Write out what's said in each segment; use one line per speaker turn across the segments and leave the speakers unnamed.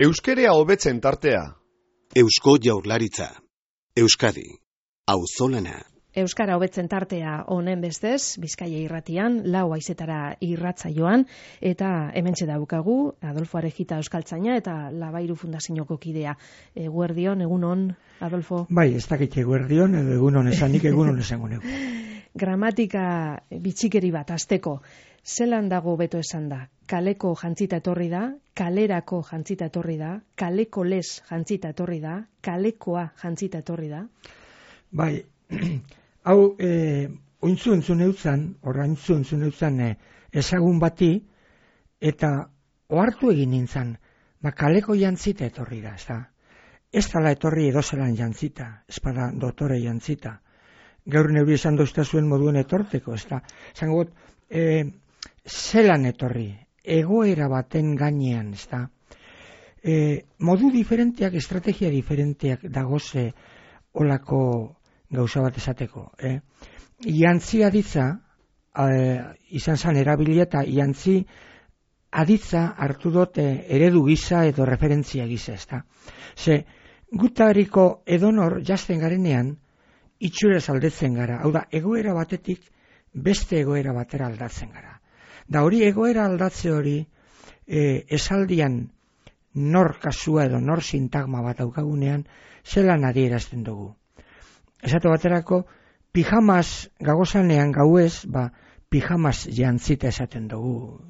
Euskerea hobetzen tartea.
Eusko Jaurlaritza. Euskadi. Auzolana.
Euskara hobetzen tartea honen bestez, Bizkaia irratian, 4 haizetara irratsaioan, eta hementxe daukagu, Adolfo Arejita euskaltzaina eta Labairu Fundazioko kidea. Eguerdion, egunon, Adolfo?
Bai, ez dakit eguerdion, edo egunon esanik egunon esango neu.
Gramatika bitxikeri bat hasteko. Zelan dago beto esan da? Kaleko jantzita etorri da, kalerako jantzita etorri da, kaleko les jantzita etorri da, kalekoa jantzita etorri da?
Bai, hau, ointzu entzun eutzan, ezagun bati, eta ohartu egin nintzen, kaleko jantzita etorri da, ez da. Ez dala etorri edozelan jantzita, ez bada dotore jantzita. Gaur neuri esan dozta zuen moduen etorteko, ez da. Zango, zelan etorri, egoera baten gainean, ez da. Modu diferenteak, estrategia diferenteak dagoze olako gauza bat esateko. Jantzi aditza, izan zan erabilia eta jantzi aditza hartu dut eredu gisa edo referentzia gisa, ez da. Ze, gutariko edonor jazten garenean, itxuraz aldatzen gara. Hau da, egoera batetik beste egoera batera aldatzen gara. Da hori egoera aldatze hori esaldian nor kasua edo nor sintagma bat daukagunean zelan adierazten dugu. Esate baterako, pijamas gagozanean gauez, pijamas jantzita esaten dugu.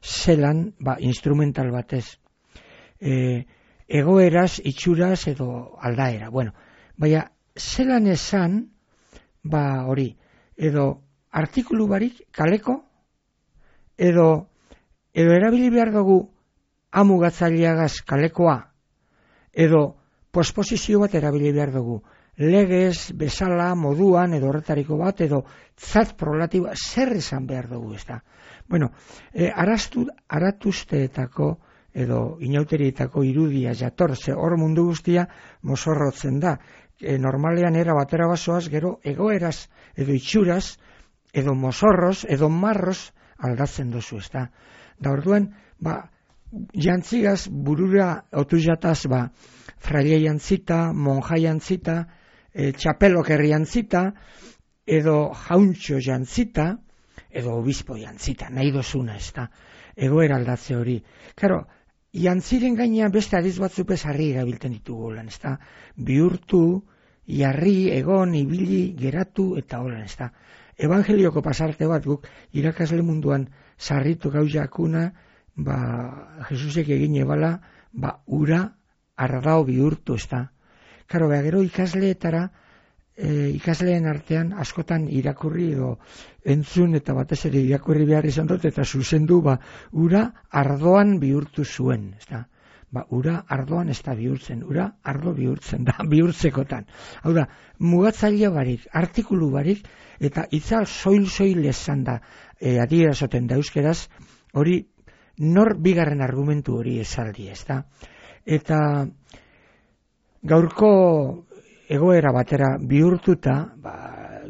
Zelan, instrumental batez. Egoeraz, itxuraz edo aldaera. Bueno, baina, zelan esan, hori, edo artikulu barik kaleko, edo erabili behar dugu amugatzaileagaz kalekoa, edo posposizio bat erabili behar dugu, legez, bezala, moduan, edo horretariko bat, edo zat prolatiba, zer esan behar dugu, ez da. Bueno, aratuzteetako, edo inauterietako irudia jatorze, hor mundu guztia mozorrotzen da. Normalean era batera basoaz, gero egoeraz, edo itxuraz, edo mozorroz, edo marroz aldatzen duzu, ez da. Da orduan, jantzigaz, burura otuzataz, fraile jantzita, monja jantzita, txapelokerri jantzita, edo jauntxo jantzita, edo obispo jantzita, nahi dozuna, ez da. Egoera aldatze hori. Karo, jantziren gainean beste adiz batzupez harri erabiltzen ditugu holan, ez da. Bihurtu, jarri, egon, ibili, geratu, eta holan, ez da. Evangelioko pasarte bat guk irakasle munduan sarritu gau jakuna, Jesusek egin ebala, ura ardao bihurtu, ez da. Karo, gero ikasleetara, ikasleen artean askotan irakurri edo entzun eta batez ere irakurri behar izan dut eta zuzendu ura ardoan bihurtu zuen, ez da. Ura ardoan ez da bihurtzen, ura ardo bihurtzen da, bihurtzekotan. Hau da, mugatzailea barik, artikulu barik, eta itzal soil esan da, adierazoten da euskeraz, hori nor bigarren argumentu hori esaldi, ez da. Eta gaurko egoera batera bihurtuta,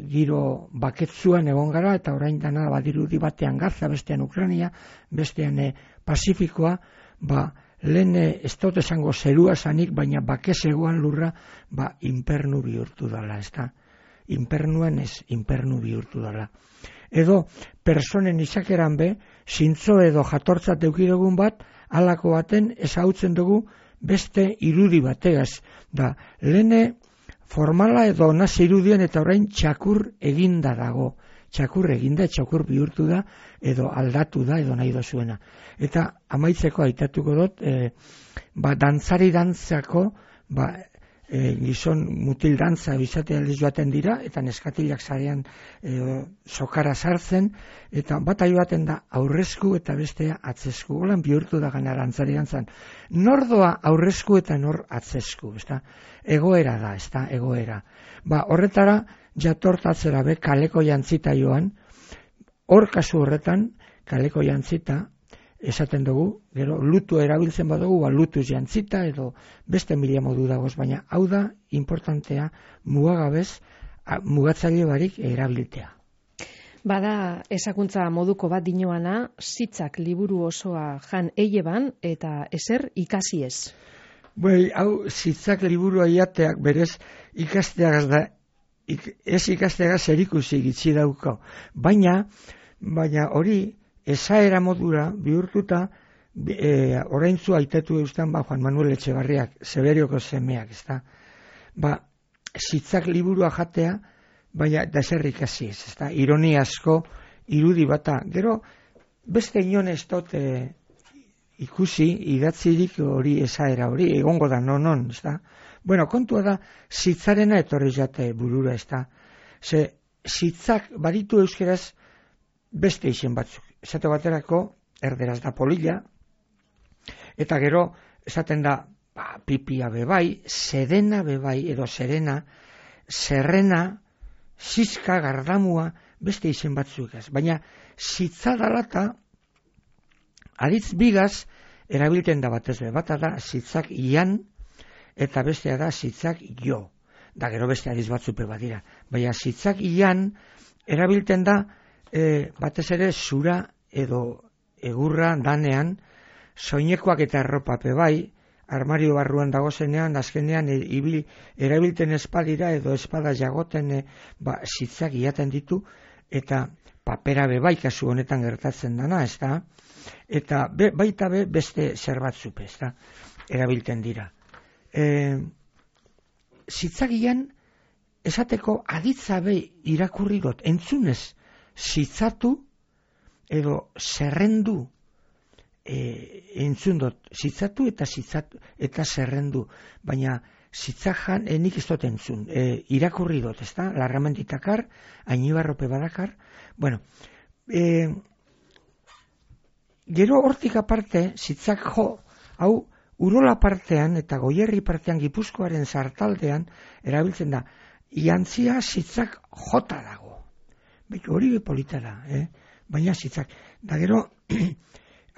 giro baketzuan egon gara, eta orain dana badirudi batean Gaza, bestean Ukraina, bestean Pasifikoa, lehen ez dut esango zerua zanik, baina bakezegoan lurra, inpernu bihurtu dala, ez da. Inpernuan ez, inpernu bihurtu dala. Edo, personen izakeran be, zintzo edo jatortzat eukidugun bat, halako baten ezagutzen dugu beste irudi bategaz. Da, lehen formala edo nazi irudien eta orain txakur eginda dago. Txakur eginda, txakur bihurtu da, edo aldatu da, edo nahi dozuena. Eta amaitzeko aitatuko dut, dantzari dantzako, gizon mutil dantza bizate aldiz joaten dira, eta neskatilak zarean sokara sartzen, eta bat joaten da aurrezku eta bestea atzesku. Holan bihurtu da gana dantzari dantzan. Nor doa aurrezku eta nor atzesku, ez da? Egoera da, ez da, egoera. Horretara, jatortatzera be, kaleko jantzita joan, hor kasu horretan, kaleko jantzita, esaten dugu, gero lutu erabiltzen badugu, lutuz jantzita, edo beste mila modu dagoz, baina hau da, importantea, mugagabez, mugatzaile barik erabiltzea.
Bada ezakuntza moduko bat dinoana, Zitzak liburu osoa jan eileban eta ezer ikasi ez.
Hau Zitzak liburua iateak berez ikasteagaz da, ez ikasteagaz erikusi gitzi dauko. Baina hori esaera modura bihurtuta oraintzu aitetu eustan Juan Manuel Etxebarriak, Severioko semeak, ezta? Zitzak liburua jatea, baina da zer ikasi ez, ezta? Ironia asko, irudi bata. Gero, beste inon ez dut ikusi, idatzirik hori esaera hori, egongo da, non, ezta? Kontua da, Zitzarena etorri jate burura, ezta? Ze, Zitzak baditu euskeraz beste izen batzuk. Esate baterako, erderaz da polilla, eta gero, esaten da, pipia bebai, sedena bebai, edo serena, serrena, Zizka, gardamua, beste izen batzuk ez. Baina Zitza dalata, aditz bigaz, erabilten da batez be. Bata da Zitzak ian, eta bestea da Zitzak jo. Da gero beste aditz batzupe badira. Baina Zitzak ian, erabilten da, batez ere zura edo egurra danean, soinekoak eta erropape bai, armario barruan dagozenean, azkenean erabilten espadira edo espada jagoten Zitzak iaten ditu, eta papera bebai kasu honetan gertatzen dana, ez da? Eta baita beste zer batzupe, ez da? Erabilten dira. Zitzagian, esateko aditzabe irakurri dut, entzunez, zitzatu edo zerrendu, entzun dut, zitzatu eta zerrendu, baina zitzajan nik ez dut entzun, irakurri dut, ez da, Larramenditakar, Ainibarrope badakar, gero hortik aparte, zitzak hau, Urola partean eta Goierri partean Gipuzkoaren sartaldean erabiltzen da, iantzia zitzak jota dago. Hori polita da, baina zitzak. Da gero,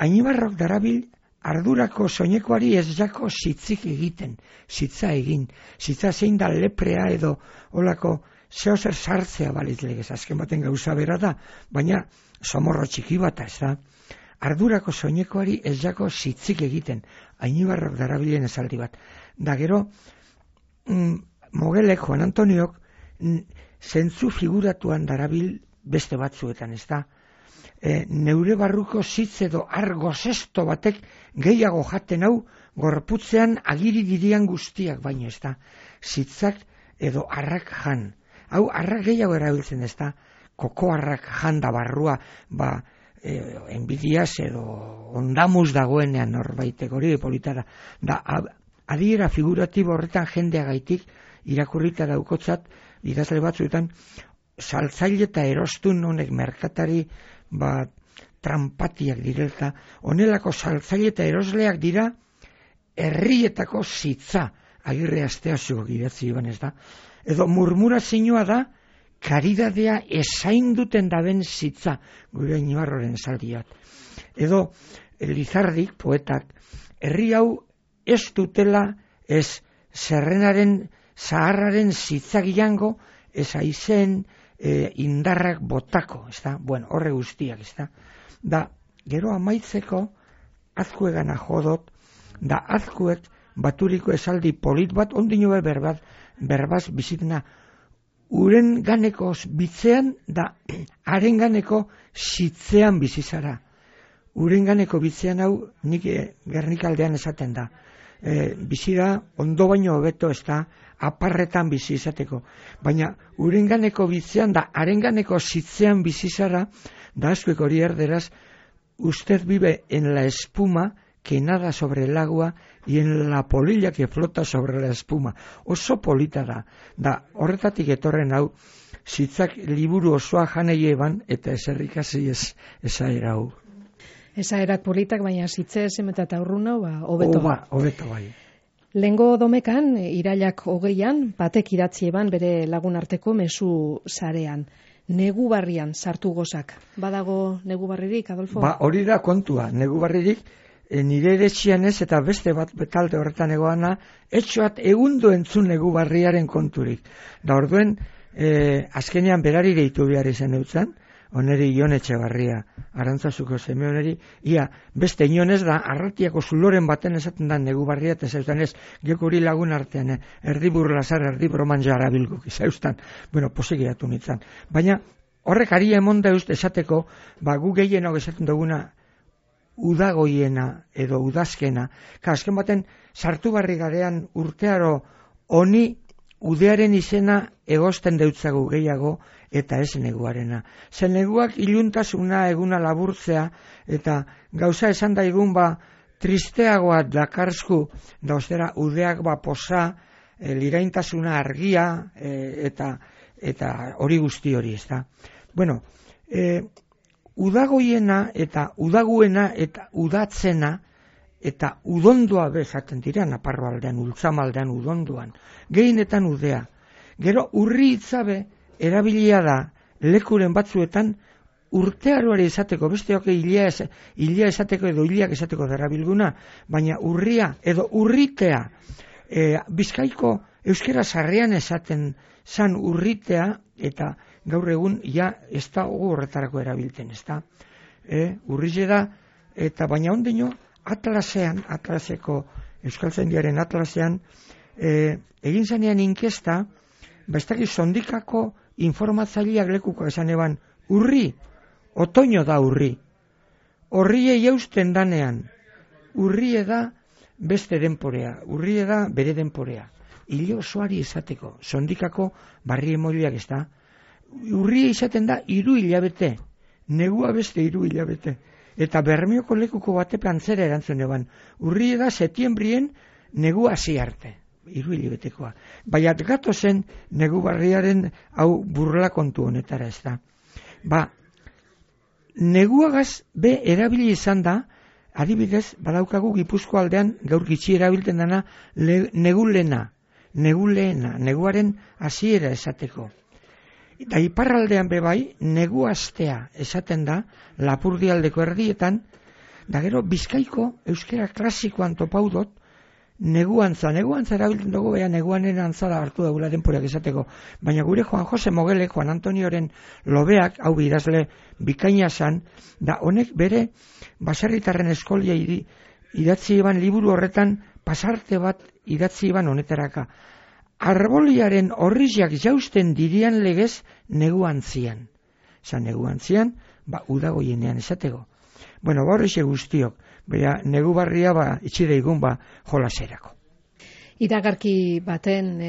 Ainibarrok darabil ardurako soinekoari ez jako zitzik egiten, zitza egin. Zitza zein da leprea edo olako zehozer sartzea balitz legez, azken baten gauza bera da, baina somorro txiki bat ez da. Ardurako soinekoari ez jako zitzik egiten, Ainibarrok darabilen esaldi bat. Da gero, Mogelek, Juan Antoniok, zentzu figuratuan darabil beste batzuetan, ez da. Neure barruko zitz edo argo zesto batek gehiago jaten hau gorputzean agiri dirian guztiak baino, ez da. Zitzak edo arrak jan. Hau arrak gehiago erabiltzen, ez da. Koko arrak jan da barrua, enbidiaz edo ondamuz dagoenean norbaitek hori politara. Da, adiera figuratibo horretan jendeagaitik irakurrita daukotzat, idazle batzuetan, saltzaile eta erostun honek merkatari trampatiak direlta, honelako saltzaile eta erosleak dira herrietako zitza, Agirre Asteazuko idatzi iban, ez da. Edo murmurazioa da, karidadea esain duten daben zitza, gure Ainibarroren esaldiat. Edo Lizardik, poetak, herri hau ez dutela, ez zerrenaren, zaharraren zitzak jango, ez aizen indarrak botako, ez da, horre guztiak, ez da. Da, gero amaitzeko, azkuegana jodot, da azkuek baturiko esaldi polit bat, ondino berbaz bizitena, uren ganeko bitzean, da, haren ganeko zitzean bizizara. Uren ganeko bitzean hau, nik Gernikaldean esaten da. Bizira ondo baino hobeto, ez da, aparretan bizi izateko. Baina urenganeko bitzean da, harenganeko zitzean bizizara, da askoek hori erderaz, usted vive en la espuma que nada sobre el agua y en la polilla que flota sobre la espuma. Oso polita da. Da, horretatik etorren hau, zitzak liburu osoa janei eban, eta eserrikasi esaera hau.
Esaerak politak, baina zitze esemeta eta urruna, hobeto.
Hobeto bai.
Lengo domekan, irailak 20an, batek idatzi eban bere lagun arteko mezu sarean. Negu barrian sartu gozak. Badago negu barririk, Adolfo?
Hori da kontua. Negu barririk, nire eretxian ez, eta beste bat betalde horretan egoana, etxoat egundu entzun negu barriaren konturik. Da orduen, azkenean berari deitu behar izan eutzen, oneri Ion Etxebarria, Arantzazuko seme oneri, ia, beste inonez da, Arratiako zuloren baten esaten da negu barria, eta zeustan ez, gekuri lagun artean, erdi burlasar, erdi broman jarabilguk, zeustan, bueno, posigiatu nintzen. Baina, horrek ari emon dauz esateko, gu gehienok esaten duguna, udagoiena edo udazkena, azken baten, sartu barri garean urtearo honi udearen izena egosten deutzagu gehiago, eta ez neguarena. Zen neguak iluntasuna eguna laburtzea, eta gauza esan daigun tristeagoa dakarzku, da ostera udeak posa, liraintasuna argia, eta hori guzti hori, ez da. Bueno, udagoiena eta udaguena eta udatzena eta udondua bezaten dira, Naparro aldean, Ultzamaldean udonduan, gehienetan udea. Gero urri hitzabe erabilia da lekuren batzuetan urtearoari esateko, besteok hilia esateko edo hiliak esateko darabilguna, baina urria edo urritea, Bizkaiko euskera sarrean esaten zan urritea, eta gaur egun ez da horretarako erabiltzen, ez da. Urrile da, eta baina ondino, Atlaseko, Euskaltzaindiaren Atlasean, egin zanean inkesta, ez dakiz sondikako informatzaileak lekuko esan eban, urri, otoño da urri. Horrie jausten danean, urrie da beste denporea, urrie da bere denporea. Hile osoari esateko, sondikako barri emoiliak ez da. Urria izaten da 3 hilabete, negua beste 3 hilabete. Eta Bermeoko lekuko batepan zera erantzun eban. Urria da setiembrien negua hasi arte, 3 hilabetekoa. Baina gato zen negu barriaren hau burla kontu honetara ez da. Neguagaz be erabili izan da, adibidez, badaukagu Gipuzko aldean gaur gitxi erabiltzen dana neguleena, neguaren hasiera esateko. Eta iparraldean bebai, negu astea esaten da, Lapurdialdeko erdietan, da gero Bizkaiko euskera klasikoan topaudot, neguantza erabiltzen dugu, neguanen antzada hartu daula denporak esateko. Baina gure Juan Jose Mogele, Juan Antonioren lobeak, hau idazle bikaina zan, da honek bere baserritarren eskolia idatzi eban liburu horretan, pasarte bat idatzi eban honetaraka. Arboliaren horriziak jausten dirian legez neguantzian. Neguantzian, udagoienean esateko. Bueno, horrexe guztiok, bera negu barria itxideigun jolaserako.
Iragarki baten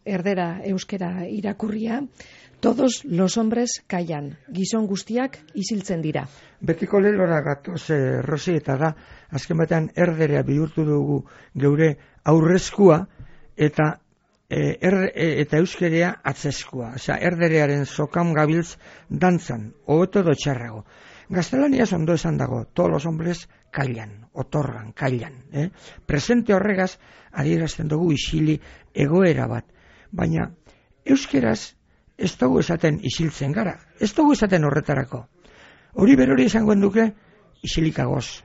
erdera euskera irakurria, todos los hombres callan, gizon guztiak isiltzen dira.
Betiko lelora gatoz, Rosi, eta da, azken batean erderea bihurtu dugu geure aurrezkua, eta euskerea atzeskua. Erderearen sokam gabiltz dantzan, hobeto edo txarrago. Gaztelaniaz ondo esan dago, todos los hombres callan, otorgan, callan. Presente horregaz, adierazten dugu isili egoera bat. Baina, euskeraz ez dugu esaten isiltzen gara, ez dugu esaten horretarako. Hori berori esangoen duke, isilikagoz,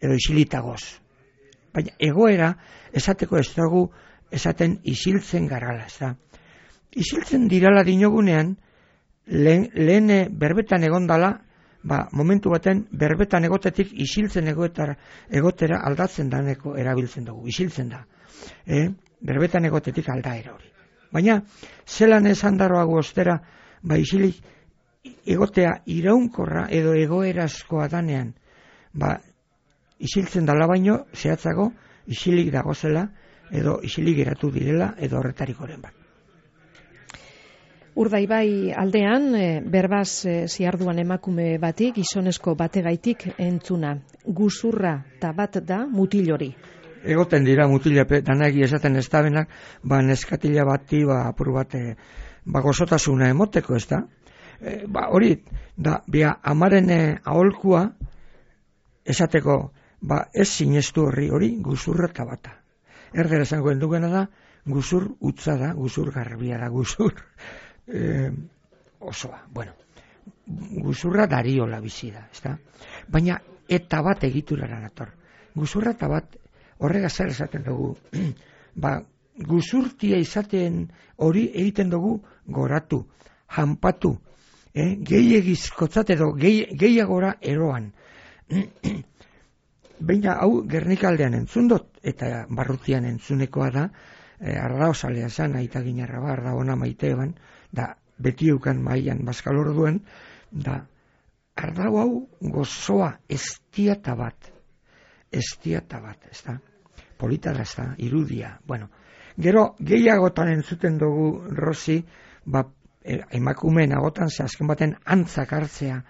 edo isilitagoz. Baina, egoera esateko ez dugu esaten isiltzen garala, ez da. Isiltzen dirala dinogunean, lehen berbetan egondala, momentu baten berbetan egotetik isiltzen egotera aldatzen daneko erabiltzen dugu, isiltzen da. Berbetan egotetik aldaera hori. Baina, zelan esan daroago ostera, isilik egotea iraunkorra edo egoerazkoa danean, isiltzen dala baino, zehatzago, isilik dagozela, edo isilik geratu direla, edo horretarikoren bat.
Urdaibai aldean, berbaz ziarduan emakume batik, gizonezko bategaitik entzuna. Guzurra eta bat da mutilori.
Egoten dira mutilape, danagi esaten ez dabenak, neskatila bati, apur bat, gozotasuna emoteko, ez da? Hori, amaren aholkua, esateko, ez sinestu hori guzurra eta bata. Erdera esangoen dugena da, guzur utza da, guzur garbia da, guzur osoa. Bueno, guzurra dariola bizi da, ezta? Baina eta bat egiturara nator. Guzurra eta bat horregaz zer esaten dugu. Guzurtia izaten hori egiten dugu goratu, janpatu, gehiagizkotzat edo gehiagora eroan. Baina hau Gernikaldean entzun dut, eta barrutian entzunekoa da, ardaozalea zan, aita ginarra ba, ardaona maite eban, da beti eukan maian bazkalor duen, da ardau hau gozoa estiata bat, ez da, polita da, ez da, irudia, bueno. Gero, gehiagotan entzuten dugu, Rosi, ba, emakumeen agotan, ze azken baten antzak hartzea,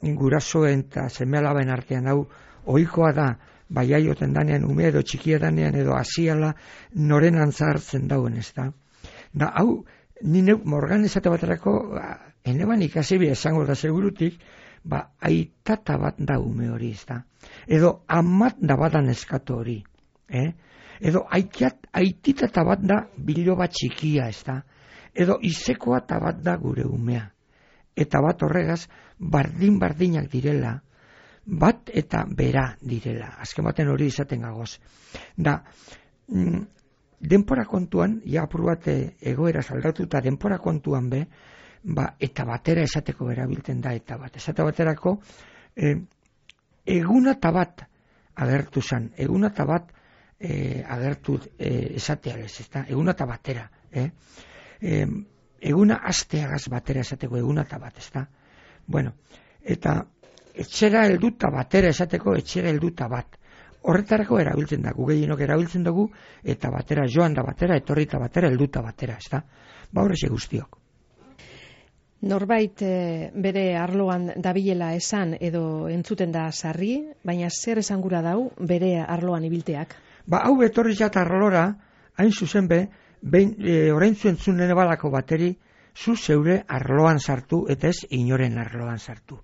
gurasoen eta seme-alaben artean hau, ohikoa da, baiaioten danean, ume edo txikia danean, edo asiala, noren antza hartzen dauen, ez da. Da, hau, nire morgan esate baterako, eneban ikasi bi esango da segurutik, ba, aitata bat da ume hori, ez da. Edo, amat da badan eskatu hori, edo, aititata bat da biloba txikia, ez da. Edo, izekoa ta bat da gure umea. Eta bat horregaz, bardin-bardinak direla, bat eta bera direla. Azken baten hori izaten gagoz. Da, denpora kontuan, ja apur bat egoera aldatuta denpora kontuan be, ba, eta batera esateko erabiltzen da eta bat. Esate baterako, eguna eta bat agertu zan, eguna eta bat agertu esatea ez, ezta? Eguna eta batera, eguna asteagaz batera esateko eguna eta bat, ezta? Bueno, eta etxera helduta batera esateko etxera helduta bat. Horretarako erabiltzen da, gehienok erabiltzen dugu, eta batera joan da batera, etorrita batera, helduta batera, ezta? Ba horrexe guztiok.
Norbait bere arloan dabilela esan edo entzuten da sarri, baina zer esangura dau bere arloan ibilteak?
Ba hau etorri jat arlora, hain zuzen be, oraintzu entzunen balako bateri, zu zeure arloan sartu, eta ez inoren arloan sartu.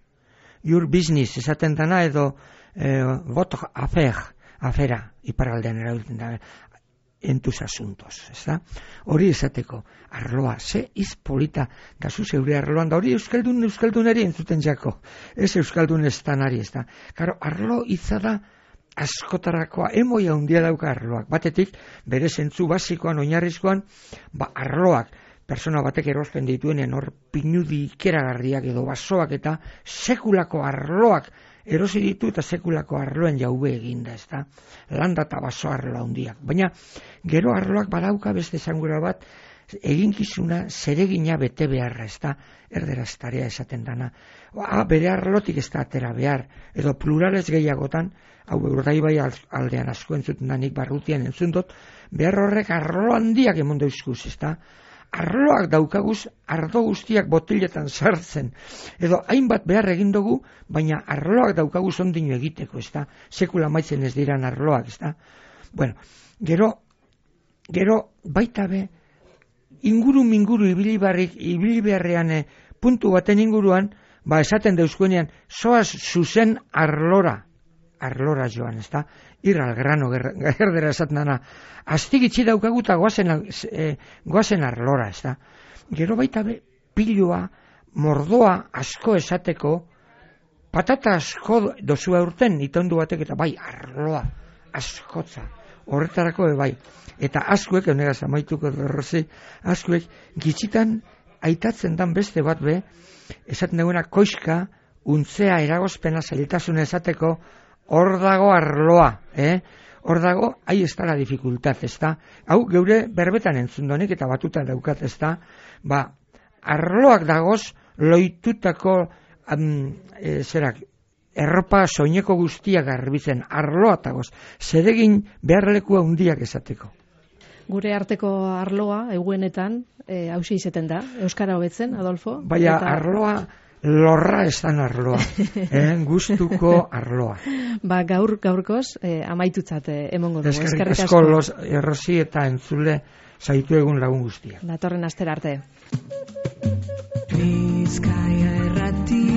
Your business esaten dana edo votre afera iparraldean erabiltzen da en tus asuntos, ezta? Hori esateko arloa, ze izpolita da zu zeure arloan da hori euskaldunari entzuten jako, ez euskaldun estanari, ezta? Karo, arlo hitza da askotarakoa, emoia handia dauka arloak, batetik bere zentzu basikoan, oinarrizkoan, ba arloak, persona batek erosten dituenen hor pinudi ikeragarriak edo basoak eta sekulako arloak erosi ditu eta sekulako arloen jaube eginda, ezta? Landa eta baso arlo handiak. Baina gero arloak badauka beste esangura bat eginkizuna zeregina bete beharra, ezta? Erderaz tarea esaten dana. Bere arlotik ez da atera behar, edo plurales gehiagotan, hau Urdaibai aldean asko entzuten da nik barrutian entzun dut, behar horrek arlo handiak emon dauzkuz, ezta? Arloak daukaguz, ardo guztiak botiletan sartzen. Edo hainbat behar egin dugu, baina arloak daukaguz ondino egiteko, ezta? Sekula maitzen ez diran arloak, ezta? Bueno, gero baita be, inguru ibili beharrean puntu baten inguruan, ba esaten deuskuenean, zoaz zuzen arlora joan, ezta? Irral grano, gerdera esaten dana, astigitzi daukagu eta goazen arlora, ezta? Gero baita be, piloa, mordoa asko esateko, patata asko dozua urten, itondu batek eta bai, arloa, askotza, horretarako bai. Eta askuek, honegaz amaituko derrozi, askuek gitzitan aitatzen dan beste bat be, esaten duguna koiska, untzea eragozpena zailtasun esateko, hor dago arloa, hor dago, ahi ez da la dificultad, ez da, hau geure berbetan entzundonik eta batuta daukat, ez da, ba, arloak dagoz, loitutako, erropa soineko guztiak garbitzen, arloa dagoz, zeregin beharlekua hundiak esateko.
Gure arteko arloa, eguenetan, hausia izeten da, Euskara hobetzen, Adolfo?
Baina arloa, lorra estan arloa, gustuko arloa.
Ba, gaurkoz, amaitutzat emongo dugu.
Eskerrik asko, Rosi eta entzule zaitu egun lagun guztia.
Datorren astera arte.
Bizkaia Irratia